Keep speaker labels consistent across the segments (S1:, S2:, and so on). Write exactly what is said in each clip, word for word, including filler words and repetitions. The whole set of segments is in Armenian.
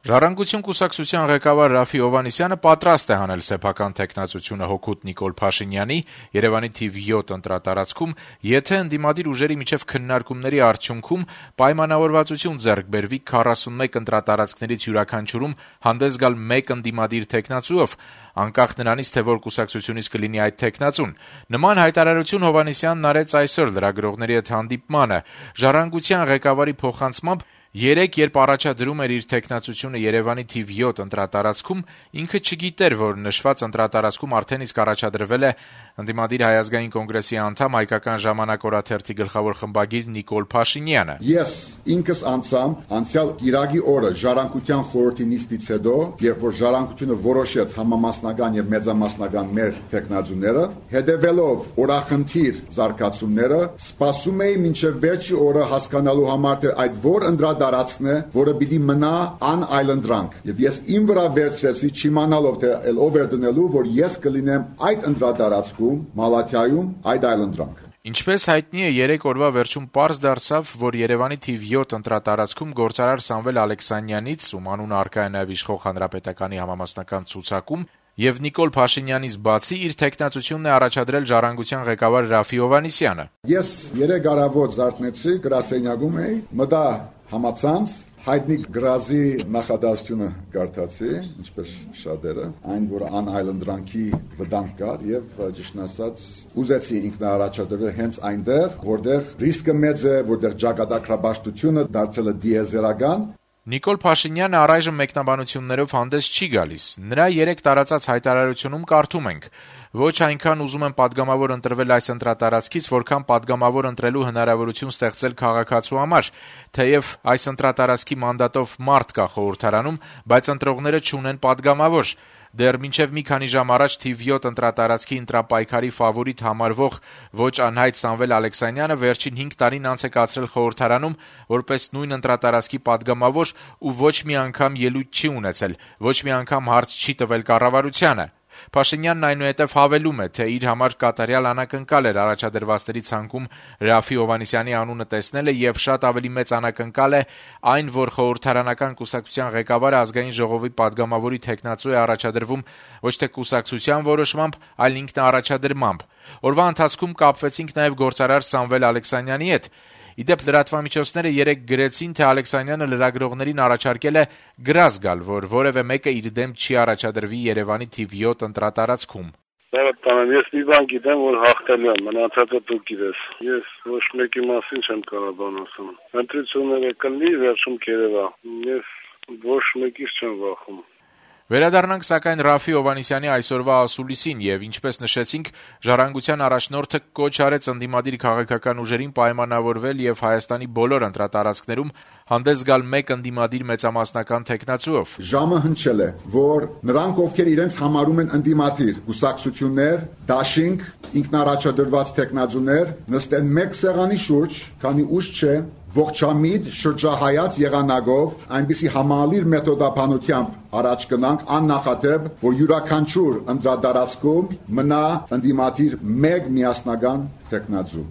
S1: Ժառանգություն կուսակցության ղեկավար Ռաֆֆի Հովհաննիսյանը պատրաստ է հանել սեփական թեկնածությունը հօգուտ Նիկոլ Փաշինյանի Երեւանի թիվ յոթ ընտրատարածքում, եթե ընդդիմադիր ուժերի միջև քննարկումների արդյունքում պայմանավորվածություն ձեռք բերվի քառասունմեկ ընտրատարածքներից յուրաքանչյուրում հանդես գալ մեկ ընդդիմադիր թեկնածուով, անկախ նրանից, թե որ կուսակցությունից կլինի այդ թեկնածուն։ Նման հայտարարություն Հովհաննիսյանն արեց այսօր լրագրողների հետ հանդիպմանը։ Ժառանգության ղեկավարի փոխանցմամբ երեկ, երբ առաջադրում էր իր թեկնածությունը Երեւանի թիվ յոթ ընտրատարածքում, ինքը չգիտեր, որ նշված ընտրատարածքում արդեն իսկ առաջադրվել է ընդդիմադիր Հայ ազգային կոնգրեսի անդամ Հայկական ժամանակ օրաթերթի գլխավոր խմբագիր Նիկոլ Փաշինյանը։
S2: Ես ինքս անցամ անցյալ Կիրակի օրը Ժառանգության խորհրդի նիստից հետո, երբ որ Ժառանգությունը որոշեց համամասնական եւ մեծամասնական մեր թեկնածուները, հետեւելով օրախնդիր զարգացումները, սպասում էի մինչեւ վերջի օրը հասկանալու համար, թե այդ որ ընդրադարձն է, որը պիտի մնա անայլանդրանք։ Եվ ես իմ վրա վերցրեցի չիմանալով, թե ով էր դնելու, որ ես կլինեմ այդ ընդրադարձում Մալաթիայում այդ այլանդրանքը։
S1: Ինչպես հայտնի է, երեք օրվա վերջում պարզ դարձավ, որ Երեւանի թիվ յոթ ընտրատարածքում գործարար Սամվել Ալեքսանյանից, ում անունը առկա է նաև իշխող Հանրապետականի համամասնական ցուցակում, եւ Նիկոլ Փաշինյանից բացի իր թեկնածությունն է առաջադրել Ժառանգության ղեկավար Ռաֆֆի Հովհաննիսյանը։
S2: Ես երեք առավոտ զարթնեցի, գրասենյակում էի, մտա համացանց, հայտնի գրազի նախադասությունը կարդացի, ինչպես շատերը, այն, որ անայլանդրանքի վտանգ կար եւ ճիշտն ասած ուզեցի ինքնաառաջադրվել հենց այնտեղ, որտեղ ռիսկը մեծ է, որտեղ ճակատագրաբաշխությունը դարձել է դիեզերական։
S1: Նիկոլ Փաշինյանը առայժմ մեկնաբանություններով հանդես չի գալիս։ Նրա երեք տարածած հայտարարությունում կարդում ենք. «Ոչ այնքան ուզում եմ պատգամավոր ընտրվել այս ընտրատարածքից, որքան պատգամավոր ընտրելու հնարավորություն ստեղծել քաղաքացու համար, թեև այս ընտրատարածքի մանդատով մարդ կա խորհրդարանում, բայց ընտրողները չունեն պատգամավոր։ Դեռ մինչև մի քանի ժամ առաջ թիվ յոթ ընտրատարածքի ընտրապայքարի ֆավորիտ համարվող ոչ անհայտ Սամվել Ալեքսանյանը վերջին հինգ տարին անց է կացրել խորհրդարանում որպես նույն ընտրատարածքի պատգամավոր ու ոչ մի անգամ ելույթ չի ունեցել, ոչ մի անգամ հարց չի տվել կառավարությանը։ Փաշինյանն այնուհետև հավելում է, թե իր համար կատարյալ անակնկալ էր առաջադրվածների ցանկում Ռաֆֆի Հովհաննիսյանի անունը տեսնելը եւ շատ ավելի մեծ անակնկալ է այն, որ խորհրդարանական կուսակցության ղեկավարը ազգային ժողովի падգամավորի թեկնածու է առաջադրվում ոչ թե կուսակցության որոշմամբ, այլ ինքնաառաջադրմամբ։ Օրվա ընթացքում կապվեցինք նաեւ գործարար Սամվել Ալեքսանյանի հետ։ Իդեպ լրատվամիջոցները երեկ գրեցին, թե Ալեքսանյանը լրագրողներին առաջարկել է գրազ գալ, որ որևէ մեկը իր դեմ չի առաջադրվի Երեւանի թիվ յոթ ընտրատարածքում։
S3: Բավականին, ես մի բան գիտեմ, որ հաղթել եմ, մնացածը դու գիտես։ Ես ոչ մեկի մասին չեմ կարող բան ասում։ Ընտրությունները կլինի, վերջում կերևա։ Ես ոչ մեկից չեմ վախում։
S1: Վերադառնանք սակայն Ռաֆֆի Հովհաննիսյանի այսօրվա ասուլիսին եւ ինչպես նշեցինք, Ժառանգության առաջնորդը կոչ արեց ընդդիմադիր քաղաքական ուժերին պայմանավորվել եւ Հայաստանի բոլոր ընտրատարածքներում հանդես գալ մեկ ընդդիմադիր մեծամասնական թեկնածուով։
S2: Ժամը հնչել է, որ նրանք, ովքեր իրենց համարում են ընդդիմադիր կուսակցություններ, դաշինք, ինքնաառաջադրված թեկնածուներ, նստեն մեկ սեղանի շուրջ, քանի ուշ չէ, ողջամիտ շրջահայաց եղանակով այնպիսի համալիր մեթոդափանությամբ առաջ գնանք աննախադեպ, որ յուրաքանչյուր ընտրատարածքում մնա ընդդիմադիր մեկ միասնական թեկնածու։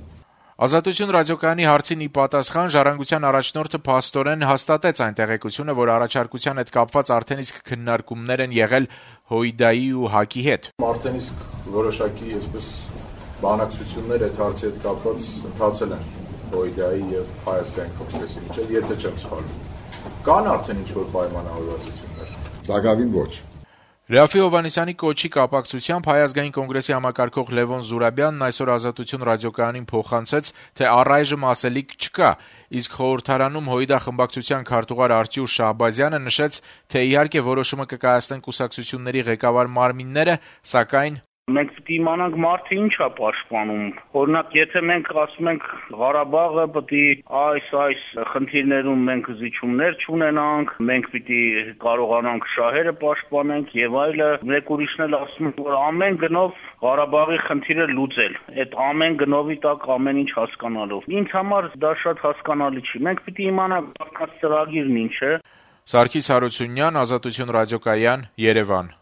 S1: Ազատություն ռադիոկայանի հարցին ի պատասխան Ժառանգության առաջնորդը փաստորեն հաստատեց այն տեղեկությունը, որ առաջարկության հետ կապված արդեն իսկ քննարկումներ են եղել ՀՅԴ-ի ու ՀԱԿ-ի հետ։
S4: Արդեն իսկ որոշակի այսպես բանակցություններ այդ հարցի հետ կապված ընթացել են ՀՅԴ-ի եւ Հայ ազգային կոնգրեսի միջեւ, եթե չեմ սխալվում։ Կան արդեն ինչ-որ պայմանավորվածություններ։
S2: Սակավին ոչ։
S1: Ռաֆֆի Հովհաննիսյանի կոչի կապակցությամբ Հայ ազգային կոնգրեսի համակարգող Լևոն Զուրաբյանն այսօր Ազատություն ռադիոկայանին փոխանցեց, թե առայժմ ասելիք չկա, իսկ խորհրդարանում ՀՅԴ խմբակցության քարտուղար Արտյուշ Շահբազյանը նշեց, թե իհարկե որոշումը կկայացնեն կուսակցությունների ղեկավար մարմինները, սակայն
S5: մենք պետք է իմանանք մարդը ինչ է պաշտպանում։ Օրինակ, եթե մենք ասում ենք Ղարաբաղը պետք է այս այս խնդիրներում մենք զիջումներ չունենանք, մենք պետք է կարողանանք շահերը պաշտպանենք եւ այլը, մեկ ուրիշն էլ ասում են, որ ամեն գնով Ղարաբաղի խնդիրը լուծել։ Այդ ամեն գնովի տակ ամեն ինչ հասկանալով։ Ինձ համար դա շատ հասկանալի չի։ Մենք պետք է իմանանք ծրագիրն ինչ է։
S1: Սարգիս Հարությունյան, Ազատություն ռադիոկայան, Երևան։